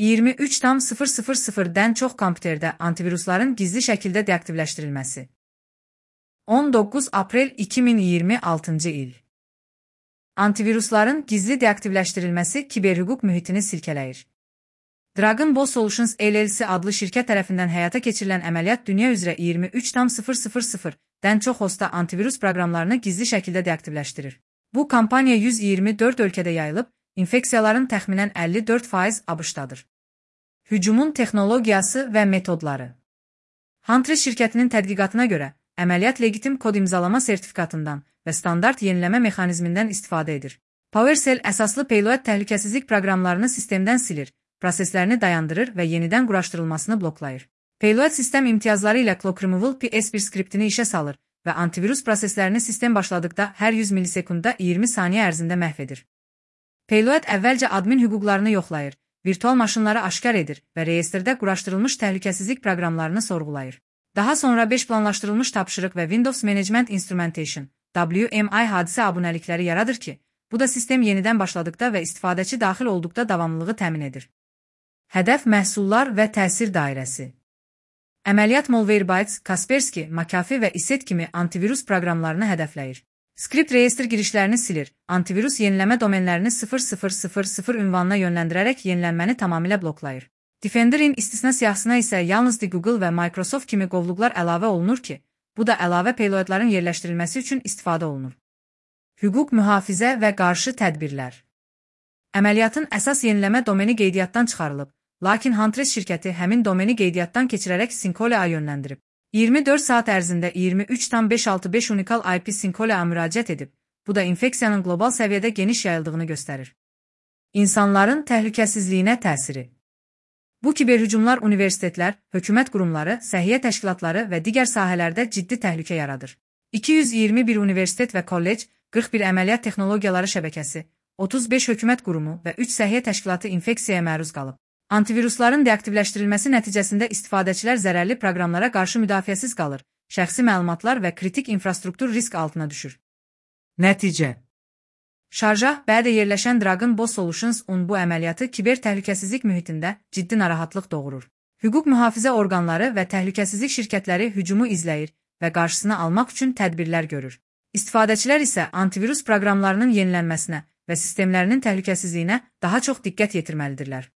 23,000'dən çox kompüterdə antivirusların gizli şəkildə deaktivləşdirilməsi. 19 aprel 2026-cı il. Antivirusların gizli deaktivləşdirilməsi kiberhüquq mühitini silkələyir. Dragon Ball Solutions LLC adlı şirkət tərəfindən həyata keçirilən əməliyyat dünya üzrə 23,000'dən çox hostda antivirus proqramlarını gizli şəkildə deaktivləşdirir. Bu kampaniya 124 ölkədə yayılıb, infeksiyaların təxminən 54% ABŞ-dadır. Hücumun texnologiyası və metodları. Huntress şirkətinin tədqiqatına görə, əməliyyat legitim kod imzalama sertifikatından və standart yeniləmə mexanizmindən istifadə edir. PowerShell əsaslı payload təhlükəsizlik proqramlarını sistemdən silir, proseslərini dayandırır və yenidən quraşdırılmasını bloklayır. Payload sistem imtiyazları ilə Clock Removal PS1 skriptini işə salır və antivirus proseslərini sistem başladıqda hər 100 millisekundda 20 saniyə ərzində məhv edir. Payload əvvəlcə admin hüquqlarını yoxlayır, virtual maşınları aşkar edir və reyestrdə quraşdırılmış təhlükəsizlik proqramlarını sorğulayır. Daha sonra 5 planlaşdırılmış tapşırıq və Windows Management Instrumentation (WMI) hadisə abunəlikləri yaradır ki, bu da sistem yenidən başladıqda və istifadəçi daxil olduqda davamlılığı təmin edir. Hədəf məhsullar və təsir dairəsi. Əməliyyat Malwarebytes, Kaspersky, McAfee və ISET kimi antivirus proqramlarını hədəfləyir. Skript reyestr girişlərini silir, antivirus yeniləmə domenlərini 0000 ünvanına yönləndirərək yenilənməni tamamilə bloklayır. Defender'in istisna siyahısına isə yalnız Google və Microsoft kimi qovluqlar əlavə olunur ki, bu da əlavə payloadların yerləşdirilməsi üçün istifadə olunur. Hüquq mühafizə və qarşı tədbirlər. Əməliyyatın əsas yeniləmə domeni qeydiyyatdan çıxarılıb, lakin Huntress şirkəti həmin domeni qeydiyyatdan keçirərək Syncolia'ya yönləndirib. 24 saat ərzində 23,565 unikal IP Syncolia'ya müraciət edib, bu da infeksiyanın qlobal səviyyədə geniş yayıldığını göstərir. İnsanların təhlükəsizliyinə təsiri. Bu kiberhücumlar universitetlər, hökumət qurumları, səhiyyə təşkilatları və digər sahələrdə ciddi təhlükə yaradır. 221 universitet və kollec, 41 əməliyyat texnologiyaları şəbəkəsi, 35 hökumət qurumu və 3 səhiyyə təşkilatı infeksiyaya məruz qalıb. Antivirusların deaktivləşdirilməsi nəticəsində istifadəçilər zərərli proqramlara qarşı müdafiəsiz qalır, şəxsi məlumatlar və kritik infrastruktur risk altına düşür. Nəticə. Şarjah bədə yerləşən Dragon Ball Solutions bu əməliyyatı kiber təhlükəsizlik mühitində ciddi narahatlıq doğurur. Hüquq mühafizə orqanları və təhlükəsizlik şirkətləri hücumu izləyir və qarşısını almaq üçün tədbirlər görür. İstifadəçilər isə antivirus proqramlarının yenilənməsinə və sistemlərinin təhlükəsizliyinə daha çox diqqət yetirməlidirlər.